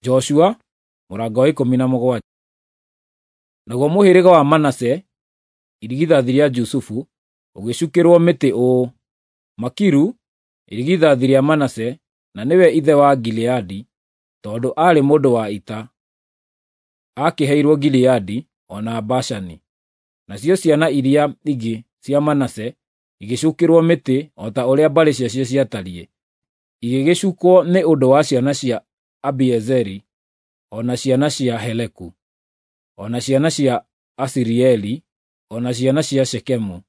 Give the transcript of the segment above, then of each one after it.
Joshua mũrango wa 17. Naguo mũhĩrĩga wa Manase, irigithathi rĩa Jusufu, ũgĩcukĩrwo mĩtĩ ũũ: Makiru, irigithathi rĩa Manase, na nĩwe ithe wa Gileadi, tondũ aarĩ mũndũ wa ita, aakĩheirwo Gileadi o na Bashani. Nacio ciana iria ingĩ cia Manase igĩcukĩrwo mĩtĩ o ta ũrĩa mbarĩ ciacio ciatariĩ, igĩgĩcukwo nĩ ũndũ wa ciana cia Abiezeri, o na ciana cia Heleku, o na ciana cia Asirieli, o na ciana cia Shekemu,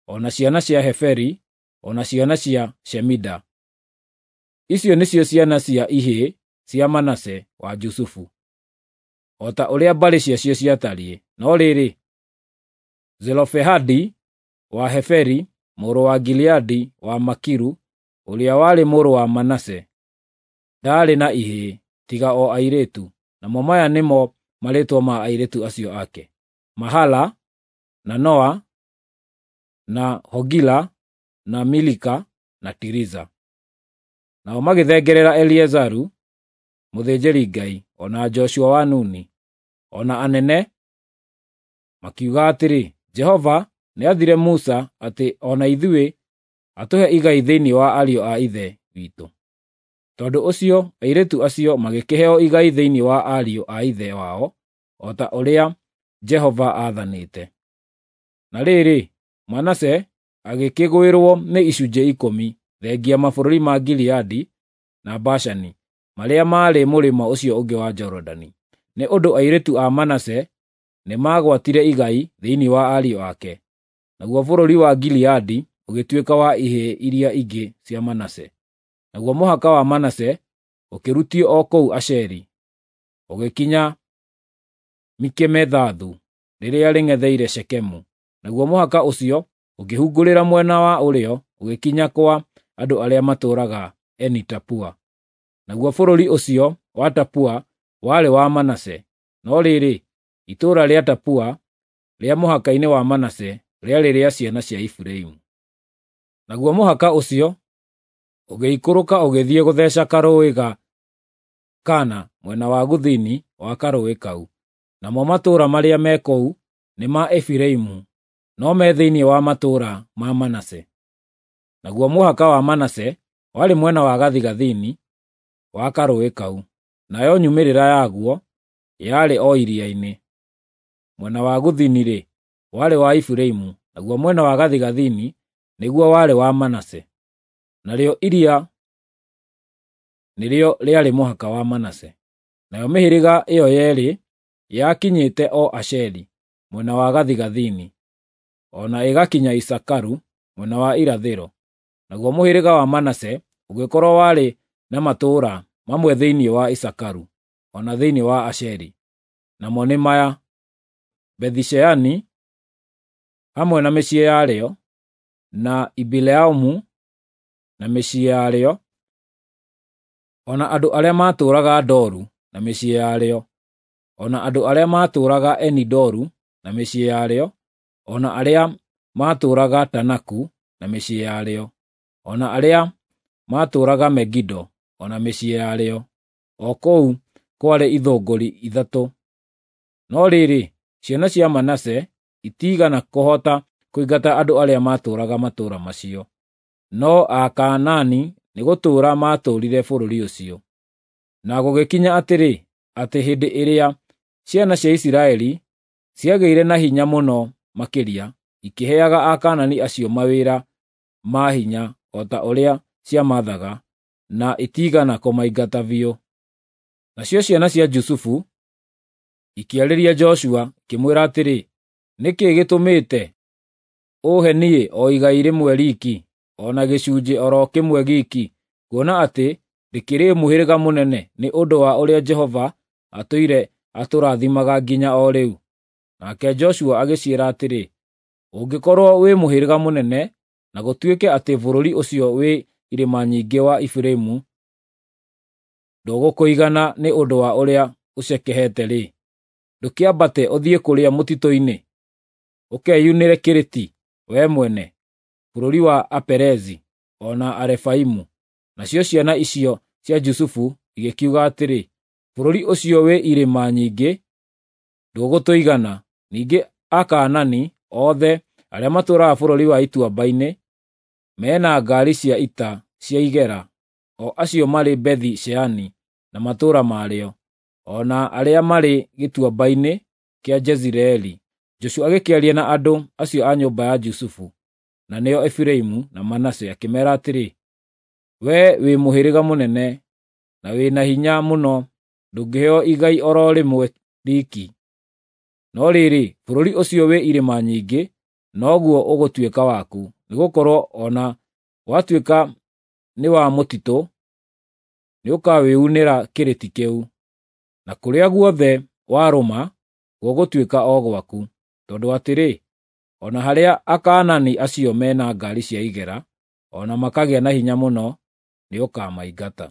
o na ciana cia Heferi, o na ciana cia Shemida. Icio nĩcio ciana cia ihĩĩ cia Manase wa Jusufu, o ta ũrĩa mbarĩ ciacio ciatariĩ. No rĩrĩ, Zelofehadi wa Heferi, mũrũ wa Gileadi wa Makiru, ũrĩa warĩ mũrũ wa Manase, ndaarĩ na ihĩĩ tiga o airĩtu, namo maya nĩmo marĩĩtwa ma airĩtu acio ake: Mahala, na Noa, na Hogila, na Milika, na Tiriza. Nao magĩthengerera Eleazaru mũthĩnjĩri-Ngai, o na Joshua wa Nuni, o na anene, makiuga atĩrĩ, Jehova nĩathire Musa atĩ o na ithuĩ atũhe igai thĩinĩ wa ariũ a ithe witũ. Tondũ ũcio airĩtu acio magĩkĩheo igai thĩinĩ wa ariũ a ithe wao, o ta ũrĩa Jehova aathanĩte. Na rĩrĩ, Manase agĩkĩgwĩrwo nĩ icunjĩ 10, thengia mabũrũri ma Gileadi na Bashani, marĩa maarĩ mũrĩmo ũcio ũngĩ wa Jorodani. Nĩ ũndũ airĩtu a Manase nĩmagwatire igai thĩinĩ wa ariũ ake. Naguo bũrũri wa Gileadi ũgĩtuĩka wa ihĩĩ iria ingĩ cia Manase. Naguo mũhaka wa Manase ũkĩrutio o kũu Asheri, ũgĩkinya Mikemethathu, rĩrĩa rĩng'etheire Shekemu. Naguo mũhaka ũcio ũkĩhungurĩra mwena wa ũrĩo ũgĩkinya kwa andũ arĩa matũũraga Eni-Tapua. Naguo bũrũri ũcio wa Tapua warĩ wa Manase, no rĩrĩ, itũũra rĩa Tapua rĩa mũhaka-inĩ wa Manase rĩarĩ rĩa ciana cia Efiraimu. Naguo mũhaka ũcio ũgĩikũrũka ũgĩthiĩ gũtheeca karũũĩ ga Kana mwena wa gũthini wa karũũĩ kau. Namo matũũra marĩa me kũu nĩ ma Efiraimu, no me thĩinĩ wa matũũra ma Manase. Naguo mũhaka wa Manase warĩ mwena wa gathigathini wa karũũĩ kau, nayo nyumĩrĩra yaguo yarĩ o iria-inĩ. Mwena wa gũthini-rĩ, warĩ wa Efiraimu, naguo mwena wa gathigathini nĩguo warĩ wa Manase. Narĩo iria nĩrĩo rĩarĩ mũhaka wa Manase. Nayo mĩhĩrĩga ĩyo yeerĩ yakinyĩte o Asheri mwena wa gathigathini, o na ĩgakinya Isakaru mwena wa irathĩro. Naguo mũhĩrĩga wa Manase ũgĩkorwo warĩ na matũũra mamwe thĩinĩ wa Isakaru, o na thĩinĩ wa Asheri. Namo nĩ maya: Bethi-Sheani hamwe na mĩciĩ yarĩo, na Ibileamu na mĩciĩ yarĩo, o na andũ arĩa maatũũraga Doru na mĩciĩ yarĩo, o na andũ arĩa maatũũraga Eni-Doru na mĩciĩ yarĩo, o na arĩa maatũũraga Taanaku na mĩciĩ yarĩo, o na arĩa maatũũraga Megido o na mĩciĩ yarĩo, o kũu kwarĩ ithũngũri 3. No rĩrĩ, ciana cia Manase itiigana kũhota kũingata andũ arĩa maatũũraga matũũra macio, no Akaanani nĩgũtũũra maatũũrire bũrũri ũcio. Na gũgĩkinya atĩrĩ, atĩ hĩndĩ ĩrĩa ciana cia Isiraeli ciagĩire na hinya mũno makĩria, ikĩheaga Akaanani acio mawĩra ma hinya o ta ũrĩa ciamaathaga, na itiigana kũmaingata biũ. Nacio ciana cia Jusufu ikĩarĩria Joshua ikĩmwĩra atĩrĩ, “Nĩ kĩĩ gĩtũmĩte ũũhe niĩ o igai rĩmwe riiki, o na gĩcunjĩ o ro kĩmwe giiki, kuona atĩ ndĩkĩrĩ mũhĩrĩga mũnene nĩ ũndũ wa ũrĩa Jehova atũire atũrathimaga nginya o rĩu?” Nake Joshua agĩciĩra atĩrĩ, “Ũngĩkorwo wĩ mũhĩrĩga mũnene, na gũtuĩke atĩ bũrũri ũcio wĩ irĩma nyingĩ wa Efiraimu ndũgũkũigana nĩ ũndũ wa ũrĩa ũcekehete-rĩ, ndũkĩambate ũthiĩ kũrĩa mũtitũ-inĩ, ũkeyunĩre kĩrĩti wee mwene, bũrũri wa Aperezi o na Arefaimu.” Nacio ciana icio cia Jusufu igĩkiuga atĩrĩ, Bũrũri ũcio wĩ irĩma nyingĩ ndũgũtũigana. Ningĩ Akaanani othe arĩa matũũraga bũrũri wa ituamba-inĩ me na ngaari cia ita cia igera, o acio marĩ Bethi-Sheani na matũũra marĩo, o na arĩa marĩ gĩtuamba-inĩ kĩa Jezireeli. Joshua agĩkĩaria na andũ acio a nyũmba ya Jusufu, na nĩo Efiraimu na Manase, akĩmeera atĩrĩ, “Wee wĩ mũhĩrĩga mũnene, na wĩ na hinya mũno, ndũngĩheo igai o ro rĩmwe riiki. No rĩrĩ, bũrũri ũcio wĩ irĩma nyingĩ noguo ũgũtuĩka waku, nĩgũkorwo o na watuĩka nĩ wa mũtitũ, nĩũkawĩunĩra kĩrĩti kĩu. Na kũrĩa guothe warũma gũgũtuĩka o gwaku, tondũ atĩrĩ, o na harĩa Akaanani acio me na ngaari cia igera, o na makagĩa na hinya mũno, nĩũkamaingata.”